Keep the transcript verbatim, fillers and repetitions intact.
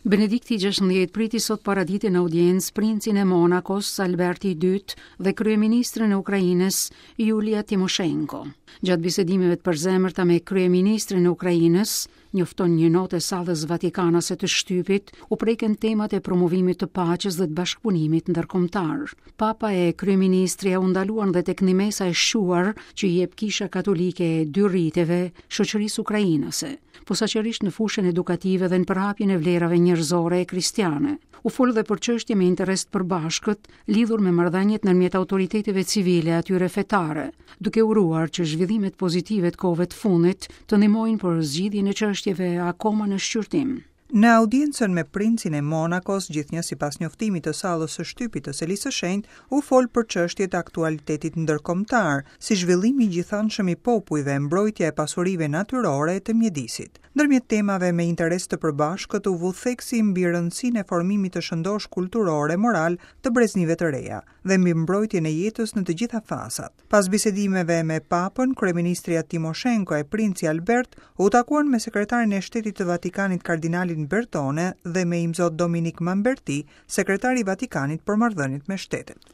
Benedikti gjashtëmbëdhjetë priti sot paradite në audiencë princin e Monakos, Alberti i dytë dhe kryeministrin e Ukrainës, Julia Timoshenko. Gjatë bisedimeve të përzemërta me kryeministrin e Ukrainës, njofton një notë e sallës vatikanase të shtypit, u preken temat e promovimit të paqes dhe të bashkëpunimit ndërkombëtar. Papa e kryeministrja u ndaluan dhe tek ndihmesa e shquar që i jep Kisha Katolike e dy riteve shoqërisë ukrainase, posaçërisht në fushën edukative dhe në përhapjen e vlerave njerëzore e kristiane. U fol dhe për çështje me interes të përbashkët lidhur me marrëdhëniet ndërmjet autoriteteve civile e atyre fetare, duke uruar që zhvillimet pozitive të kohëve të fundit të ndihmojnë për zgjidhjen e çështjeve akoma në shqyrtim. Në audiencën me princin e Monakos, gjithnjë sipas njoftimit të sallës së shtypit të Selisë së Shenjtë, u fol për çështjet e aktualitetit ndërkombëtar, si zhvillimi i gjithanshëm i popujve, mbrojtja e pasurive natyrore e të mjedisit. Ndërmjet temave me interes të përbashkët u vu theksi mbi rëndësinë e formimit të shëndosh kulturor e moral të breznive të reja dhe mbi mbrojtjen e jetës në të gjitha fazat. Pas bisedimeve me Papën, kryeministrja Timoshenko e princi Albert u takuan me sekretarin e Shtetit të Vatikanit kardinalin Bertone dhe me imzot Dominik Mamberti, sekretari i Vatikanit për marrëdhëniet me shtetet.